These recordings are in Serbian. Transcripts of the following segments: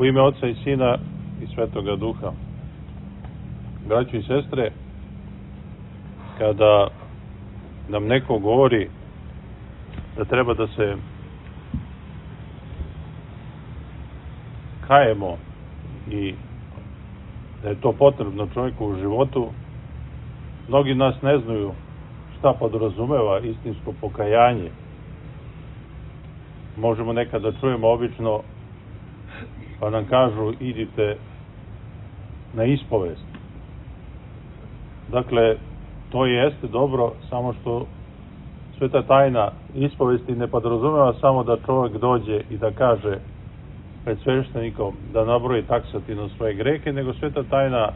U ime Oca i Sina i Svetoga Duha. Braćo i sestre, kada nam neko govori da treba da se kajemo i da je to potrebno čovjeku u životu, mnogi nas ne znaju šta podrazumeva istinsko pokajanje. Možemo nekada čujemo obično pa nam kažu idite na ispovest. Dakle, to jeste dobro, samo što sveta tajna ispovesti ne podrazumeva samo da čovjek dođe i da kaže pred sveštenikom da nabroji taksativno svoje grehe, nego sveta tajna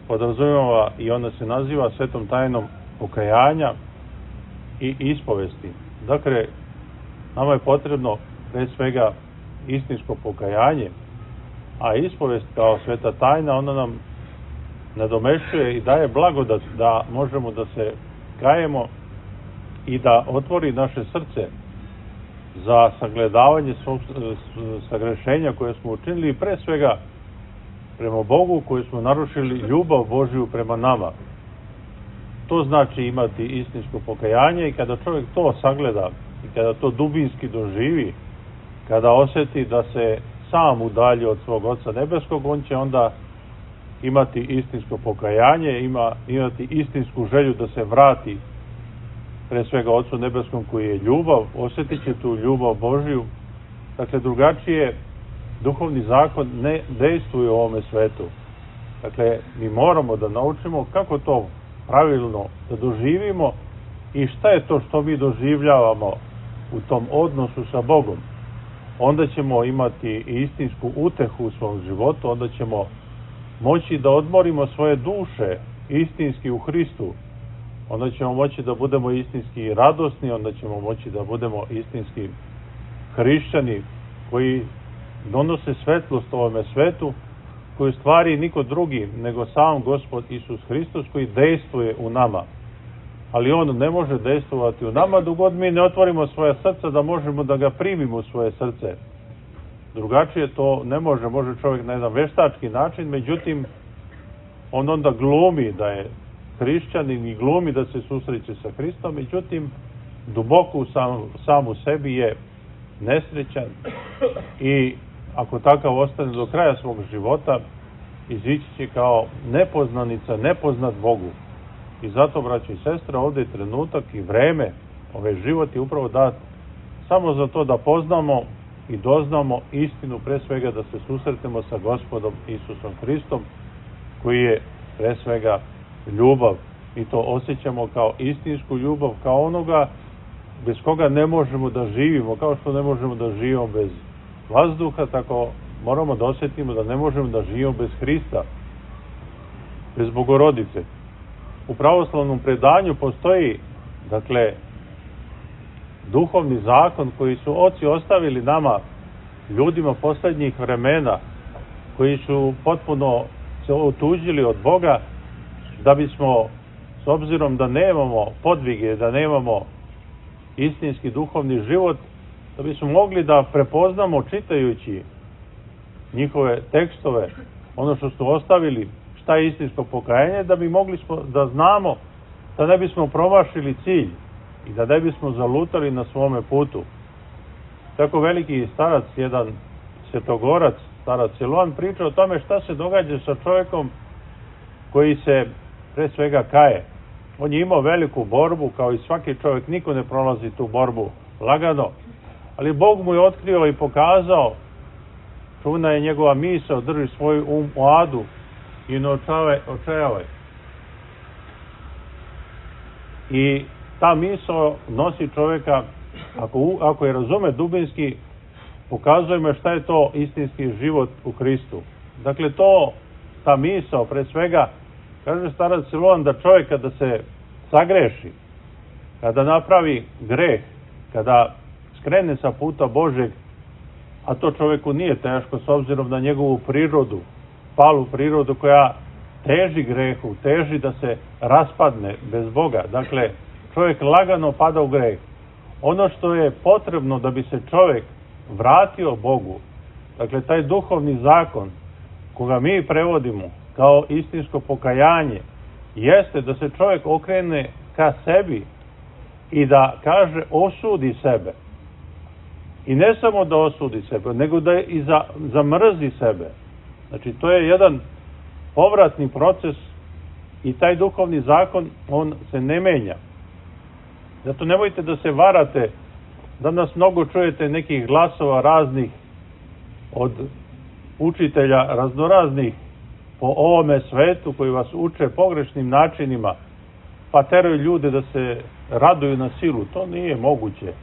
podrazumeva i ona se naziva svetom tajnom pokajanja i ispovesti. Dakle, nama je potrebno pre svega istinsko pokajanje, a ispovest kao sveta tajna ona nam nadomešćuje i daje blagodat da možemo da se kajemo i da otvori naše srce za sagledavanje svog sagrešenja koje smo učinili i pre svega prema Bogu koje smo narušili ljubav Božju prema nama. To znači imati istinsko pokajanje i kada čovjek to sagleda i kada to dubinski doživi, kada osjeti da se sam udalji od svog Oca Nebeskog, on će onda imati istinsko pokajanje, imati istinsku želju da se vrati pre svega Ocu Nebeskom koji je ljubav, osjetit će tu ljubav Božju. Dakle, drugačije duhovni zakon ne dejstvuje u ovome svetu. Dakle, mi moramo da naučimo kako to pravilno da doživimo i šta je to što mi doživljavamo u tom odnosu sa Bogom. Onda ćemo imati istinsku utehu u svom životu, onda ćemo moći da odmorimo svoje duše istinski u Hristu, onda ćemo moći da budemo istinski radosni, onda ćemo moći da budemo istinski hrišćani koji donose svetlost ovome svetu, koju stvari niko drugi nego sam Gospod Isus Hristos koji dejstvuje u nama. Ali on ne može dejstvovati u nama dok god mi ne otvorimo svoje srca da možemo da ga primimo u svoje srce. Drugačije to ne može. Može čovjek na jedan veštački način, međutim on onda glumi da je hrišćanin i glumi da se susreće sa Hristom, međutim duboko sam u sebi je nesrećan i ako takav ostane do kraja svog života, izići će kao nepoznanica, nepoznat Bogu. I zato, braći i sestre, ovdje je trenutak i vreme, ovaj život je upravo dat samo za to da poznamo i doznamo istinu, pre svega da se susretemo sa Gospodom Isusom Hristom, koji je pre svega ljubav. I to osjećamo kao istinsku ljubav, kao onoga bez koga ne možemo da živimo, kao što ne možemo da živimo bez vazduha, tako moramo da osjetimo da ne možemo da živimo bez Hrista, bez Bogorodice. U pravoslavnom predanju postoji, dakle, duhovni zakon koji su oci ostavili nama, ljudima posljednjih vremena, koji su potpuno se otuđili od Boga, da bismo, s obzirom da nemamo podvige, da nemamo istinski duhovni život, da bismo mogli da prepoznamo čitajući njihove tekstove, ono što su ostavili, šta je istinsko pokajanje, da bi mogli da znamo da ne bismo promašili cilj i da ne bismo zalutali na svome putu. Tako veliki starac, jedan svetogorac, starac Siloan, priča o tome šta se događa sa čovjekom koji se pre svega kaje. On je imao veliku borbu, kao i svaki čovjek, niko ne prolazi tu borbu lagano, ali Bog mu je otkrio i pokazao, čuvena je njegova misao, drži svoj u adu i ne očajavaj. I ta misao nosi čovjeka, ako je razume dubinski, pokazuje me šta je to istinski život u Hristu. Dakle, ta misao, pre svega, kaže starac Siloan, da čovjek kada se sagreši, kada napravi greh, kada skrene sa puta Božeg, a to čovjeku nije teško s obzirom na njegovu prirodu, palu prirodu koja teži grehu, teži da se raspadne bez Boga. Dakle, čovjek lagano pada u greh. Ono što je potrebno da bi se čovjek vratio Bogu, Dakle, taj duhovni zakon koga mi prevodimo kao istinsko pokajanje jeste da se čovjek okrene ka sebi i da kaže osudi sebe. I ne samo da osudi sebe, nego da i zamrzi sebe. Znači, to je jedan povratni proces i taj duhovni zakon, on se ne menja. Zato nemojte da se varate. Danas mnogo čujete nekih glasova raznih od učitelja raznoraznih po ovome svetu koji vas uče pogrešnim načinima, pa teraju ljude da se raduju na silu. To nije moguće.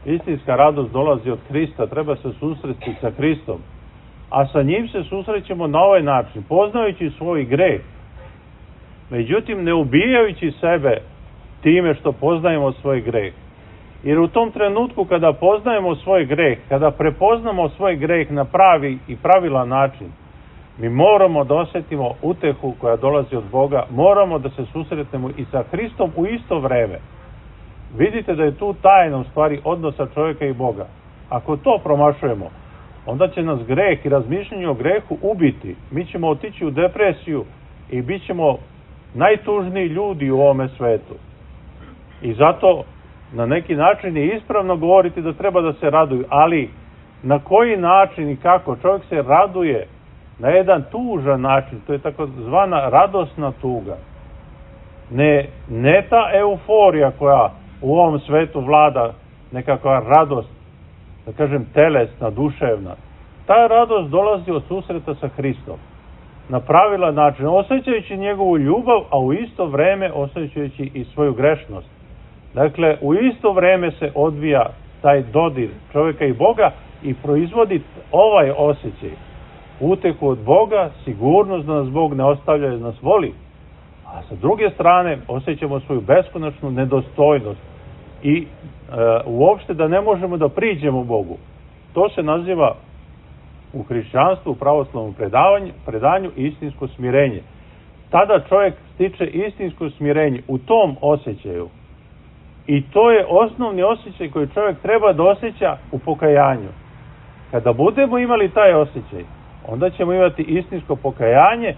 Istinska radost dolazi od Hrista, treba se susresti sa Hristom. A sa njim se susrećemo na ovaj način, poznajući svoj greh. Međutim, ne ubijajući sebe time što poznajemo svoj greh. Jer u tom trenutku kada poznajemo svoj greh, kada prepoznamo svoj greh na pravi i pravilan način, mi moramo da osjetimo utehu koja dolazi od Boga, moramo da se susretnemo i sa Hristom u isto vreme. Vidite da je tu tajna u stvari odnosa čovjeka i Boga. Ako to promašujemo, onda će nas greh i razmišljanje o grehu ubiti. Mi ćemo otići u depresiju i bit ćemo najtužniji ljudi u ovome svetu. I zato na neki način je ispravno govoriti da treba da se raduju, ali na koji način i kako? Čovjek se raduje na jedan tužan način, to je takozvana radosna tuga. Ne ta euforija koja u ovom svetu vlada, nekakva radost, da kažem telesna, duševna. Ta radost dolazi od susreta sa Hristom. Na pravilan način, osjećajući njegovu ljubav, a u isto vreme osjećajući i svoju grešnost. Dakle, u isto vreme se odvija taj dodir čovjeka i Boga i proizvodi ovaj osjećaj. Uteku od Boga, sigurnost da nas Bog ne ostavlja, da nas voli. A sa druge strane osjećamo svoju beskonačnu nedostojnost i uopšte da ne možemo da priđemo Bogu. To se naziva u hrišćanstvu, u pravoslavnom predanju istinsko smirenje. Tada čovjek stiče istinsko smirenje u tom osjećaju. I to je osnovni osjećaj koji čovjek treba da osjeća u pokajanju. Kada budemo imali taj osjećaj, onda ćemo imati istinsko pokajanje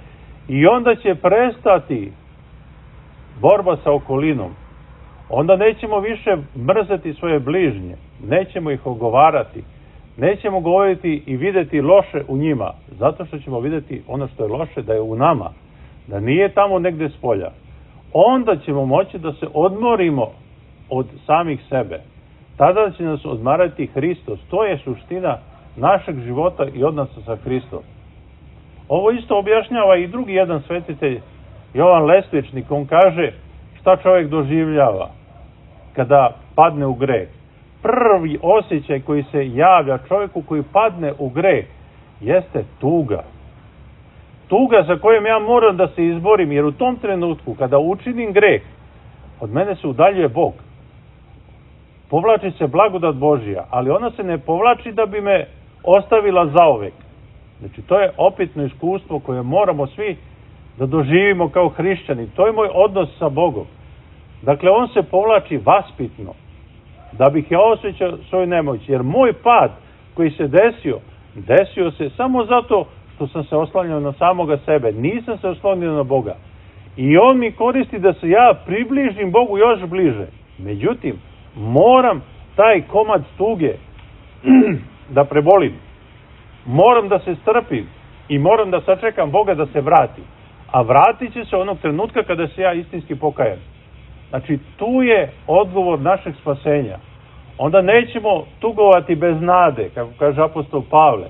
i onda će prestati borba sa okolinom. Onda nećemo više mrzeti svoje bližnje, nećemo ih ogovarati, nećemo govoriti i videti loše u njima, zato što ćemo videti ono što je loše da je u nama, da nije tamo negde spolja. Onda ćemo moći da se odmorimo od samih sebe. Tada će nas odmarati Hristos. To je suština našeg života i odnosa sa Hristom. Ovo isto objašnjava i drugi jedan svetitelj, Jovan Lesvičnik. On kaže šta čovjek doživljava kada padne u greh. Prvi osjećaj koji se javlja čovjeku koji padne u greh jeste tuga. Tuga za kojom ja moram da se izborim, jer u tom trenutku kada učinim greh, od mene se udaljuje Bog. Povlači se blagodat Božija, ali ona se ne povlači da bi me ostavila zauvek. Znači, to je opitno iskustvo koje moramo svi da doživimo kao hrišćani. To je moj odnos sa Bogom. Dakle, on se povlači vaspitno, da bih ja osjećao svoju nemoć. Jer moj pad koji se desio se samo zato što sam se oslanjao na samoga sebe. Nisam se oslonio na Boga. I on mi koristi da se ja približim Bogu još bliže. Međutim, moram taj komad tuge da prebolim. Moram da se strpim i moram da sačekam Boga da se vrati. A vratit će se onog trenutka kada se ja istinski pokajem. Znači, tu je odgovor našeg spasenja. Onda nećemo tugovati bez nade, kako kaže apostol Pavle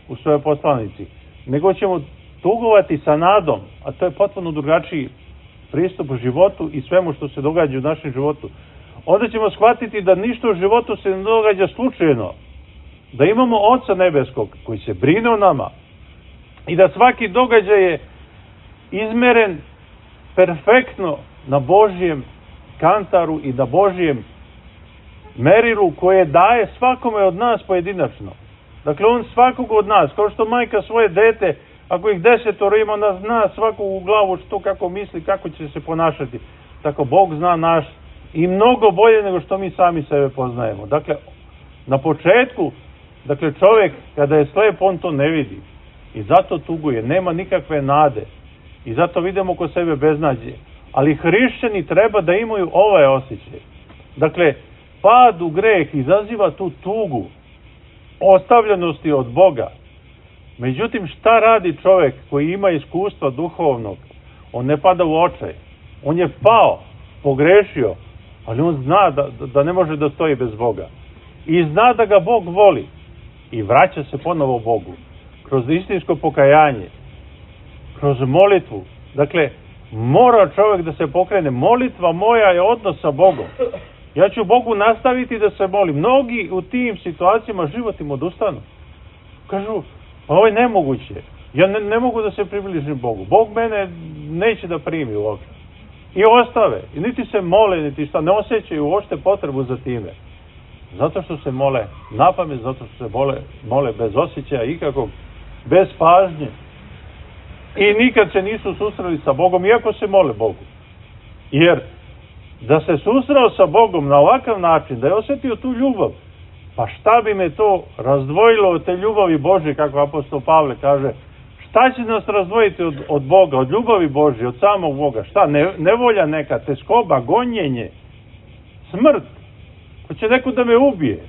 u svojoj poslanici, nego ćemo tugovati sa nadom, a to je potpuno drugačiji pristup životu i svemu što se događa u našem životu. Onda ćemo shvatiti da ništa u životu se ne događa slučajno, da imamo Oca Nebeskog koji se brine o nama i da svaki događaj je izmeren perfektno na Božjem kantaru i na Božjem merilu koje daje svakome od nas pojedinačno. Dakle, on svakog od nas, kao što majka svoje dete, ako ih 10 ima, ona zna svakog u glavu što kako misli, kako će se ponašati. Tako Bog zna naš i mnogo bolje nego što mi sami sebe poznajemo. Dakle, na početku Dakle, čovjek kada je slep, on to ne vidi. I zato tuguje, nema nikakve nade. I zato vidimo oko sebe beznađe. Ali hrišćani treba da imaju ovaj osjećaj. Dakle, pad u greh izaziva tu tugu, ostavljenosti od Boga. Međutim, šta radi čovjek koji ima iskustva duhovnog? On ne pada u očaj. On je pao, pogrešio, ali on zna da ne može da stoji bez Boga. I zna da ga Bog voli. I vraća se ponovo Bogu. Kroz istinsko pokajanje. Kroz molitvu. Dakle, mora čovjek da se pokrene. Molitva moja je odnos sa Bogom. Ja ću Bogu nastaviti da se molim. Mnogi u tim situacijama život im odustanu. Kažu, ovo je nemoguće. Ja ne mogu da se približim Bogu. Bog mene neće da primi uopšte. I ostave. I niti se mole, niti šta. Ne osjećaju uopšte potrebu za time. Zato što se mole napamet, zato što se mole bez osjećaja ikakvog, bez pažnje. I nikad se nisu susreli sa Bogom, iako se mole Bogu. Jer da se susreo sa Bogom na ovakav način, da je osjetio tu ljubav, pa šta bi me to razdvojilo od te ljubavi Božje, kako apostol Pavle kaže, šta će nas razdvojiti od Boga, od ljubavi Božje, od samog Boga? Šta? Nevolja neka, teskoba, gonjenje, smrt, ko će neko da me ubije,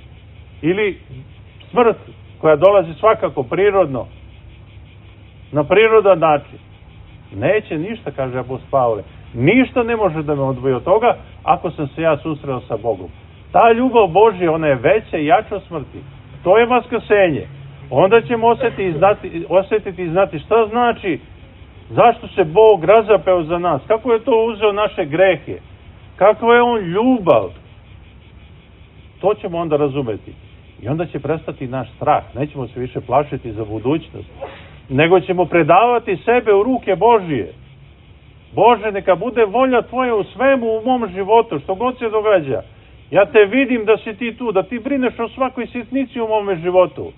ili smrt koja dolazi svakako prirodno, na prirodan način. Neće ništa, kaže apostol Pavle. Ništa ne može da me odvoji od toga ako sam se ja susreo sa Bogom. Ta ljubav Božja, ona je veća i jača od smrti. To je vaskrsenje. Onda ćemo osjetiti i znati šta znači, zašto se Bog razapeo za nas, kako je to uzeo naše grehe, kako je on ljubav. To ćemo onda razumeti. I onda će prestati naš strah. Nećemo se više plašiti za budućnost, nego ćemo predavati sebe u ruke Božije. Bože, neka bude volja Tvoja u svemu u mom životu, što god se događa. Ja te vidim da si ti tu, da ti brineš o svakoj sitnici u mome životu.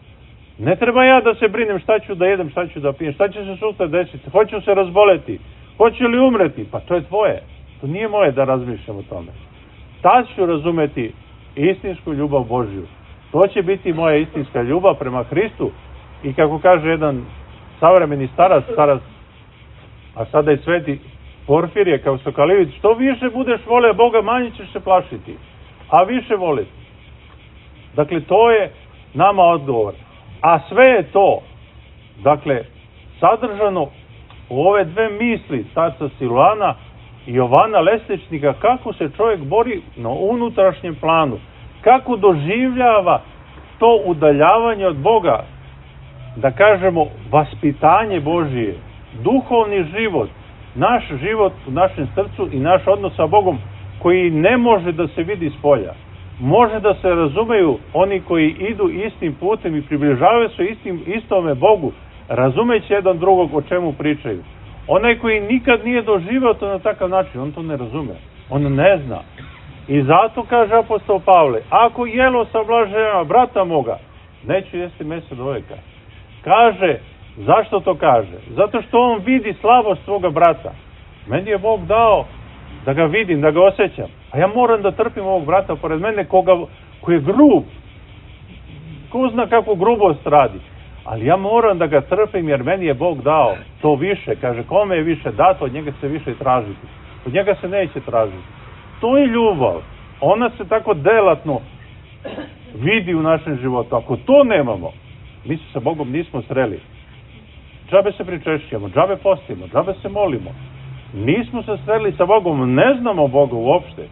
Ne treba ja da se brinem šta ću da jedem, šta ću da pijem, šta će se sutra desiti, hoću se razboleti, hoću li umreti, pa to je tvoje. To nije moje da razmišljam o tome. Tad ću razumeti istinsku ljubav Božju. To će biti moja istinska ljubav prema Hristu. I kako kaže jedan savremeni starac, a sada i sveti Porfirije, kao Sokalivić, što više budeš vole Boga, manje ćeš se plašiti, a više voliti. Dakle, to je nama odgovor. A sve je to, dakle, sadržano u ove dve misli starca Silvana i Jovana Lesničnika, kako se čovjek bori na unutrašnjem planu, kako doživljava to udaljavanje od Boga, da kažemo vaspitanje Božije, duhovni život, naš život u našem srcu i naš odnos sa Bogom, koji ne može da se vidi s polja. Može da se razumeju oni koji idu istim putem i približavaju se istome Bogu, razumeći jedan drugog o čemu pričaju. Onaj koji nikad nije doživio to na takav način, on to ne razume, on ne zna. I zato kaže apostol Pavle, ako jelo sablažnjava brata moga, neću jesti meso do veka. Kaže, zašto to kaže? Zato što on vidi slabost svoga brata. Meni je Bog dao da ga vidim, da ga osjećam. A ja moram da trpim ovog brata pored mene koji je grub. Ko zna kakvu grubost radi. Ali ja moram da ga trpim jer meni je Bog dao to više. Kaže, kome je više dato, od njega se više tražiti. Od njega se neće tražiti. To je ljubav. Ona se tako delatno vidi u našem životu. Ako to nemamo, mi se sa Bogom nismo sreli. Džabe se pričešćujemo, džabe postimo, džabe se molimo. Nismo se sreli sa Bogom, ne znamo Boga uopšte.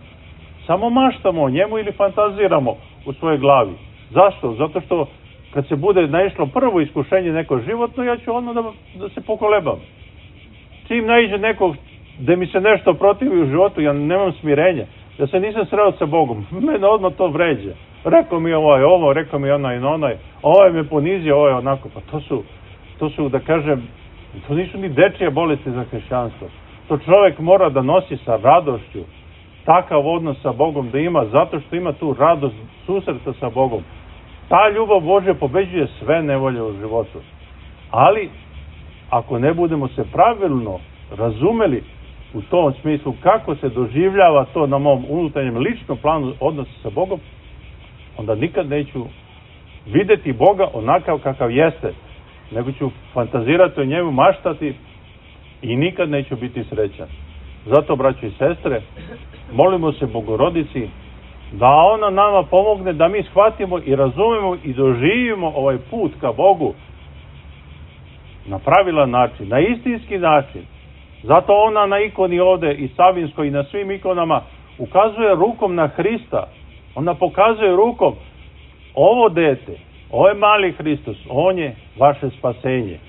Samo maštamo o njemu ili fantaziramo u svojoj glavi. Zašto? Zato što kad se bude naišlo prvo iskušenje neko životno, ja ću odmah da se pokolebam. Čim naiđe nekog da mi se nešto protivi u životu, ja nemam smirenja. Ja se nisam sreo sa Bogom. Mene odmah to vređa. Rekao mi ovo, rekao mi onaj, ovaj me ponizio, ovo je onako. Pa to su, da kažem, to nisu ni dečije bolesti za hrišćanstvo. To čovjek mora da nosi sa radošću takav odnos sa Bogom da ima, zato što ima tu radost susreta sa Bogom. Ta ljubav Božja pobeđuje sve nevolje u životu. Ali, ako ne budemo se pravilno razumeli u tom smislu kako se doživljava to na mom unutarnjem ličnom planu odnosa sa Bogom, onda nikad neću videti Boga onakav kakav jeste, nego ću fantazirati o njemu, maštati i nikad neću biti srećan. Zato, braćo i sestre, molimo se Bogorodici da ona nama pomogne da mi shvatimo i razumemo i doživimo ovaj put ka Bogu na pravilan način, na istinski način. Zato ona na ikoni ovde i Savinskoj i na svim ikonama ukazuje rukom na Hrista. Ona pokazuje rukom, ovo dete, ovo je mali Hristos, on je vaše spasenje.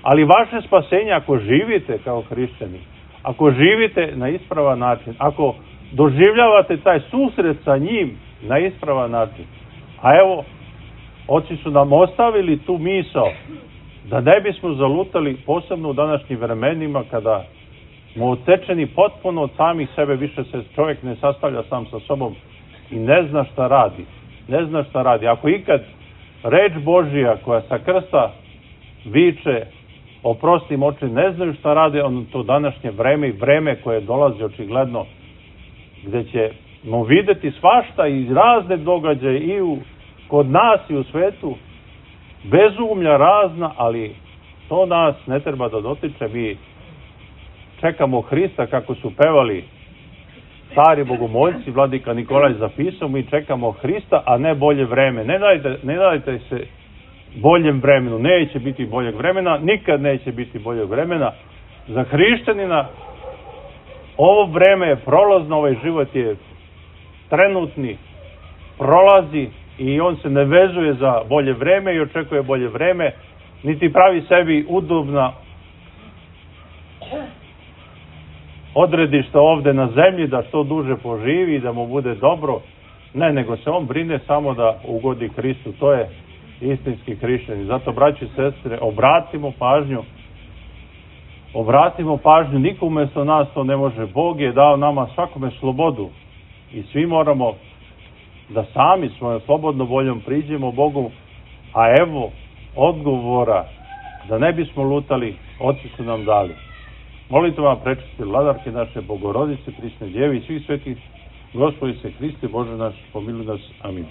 Ali vaše spasenje ako živite kao hrišćani, ako živite na ispravan način, ako doživljavate taj susret sa njim na ispravan način. A evo, oci su nam ostavili tu misao da ne bismo zalutali, posebno u današnjim vremenima kada smo odsečeni potpuno od samih sebe, više se čovjek ne sastavlja sam sa sobom i ne zna šta radi. Ne zna šta radi. Ako ikad reč Božija koja sa krsta viče oprosti oči, ne znaju šta rade, ono to današnje vreme i vreme koje dolazi očigledno, gde ćemo videti svašta i razne događaje i kod nas i u svetu, bezumlja razna, ali to nas ne treba da dotiče. Mi čekamo Hrista, kako su pevali stari bogomoljci, vladika Nikolaj zapisao, mi čekamo Hrista, a ne bolje vreme. Ne dajte se boljem vremenu, neće biti boljeg vremena, nikad neće biti boljeg vremena. Za hrišćanina ovo vreme je prolazno, ovaj život je trenutni, prolazi i on se ne vezuje za bolje vreme i očekuje bolje vreme, niti pravi sebi udobna odredišta ovde na zemlji da što duže poživi i da mu bude dobro. Ne, nego se on brine samo da ugodi Hristu. To je istinski hrišćanin. Zato, braći i sestre, obratimo pažnju, niko umesto nas to ne može. Bog je dao nama svakome slobodu i svi moramo da sami svojom slobodnom voljom priđemo Bogu, a evo odgovora da ne bismo lutali, oci su nam dali. Molite vam, prečiste vladarke naše, Bogorodice, Prisne Djevi i svih svetih, Gospodi se Hriste, Bože naš, pomiluj nas. Amin.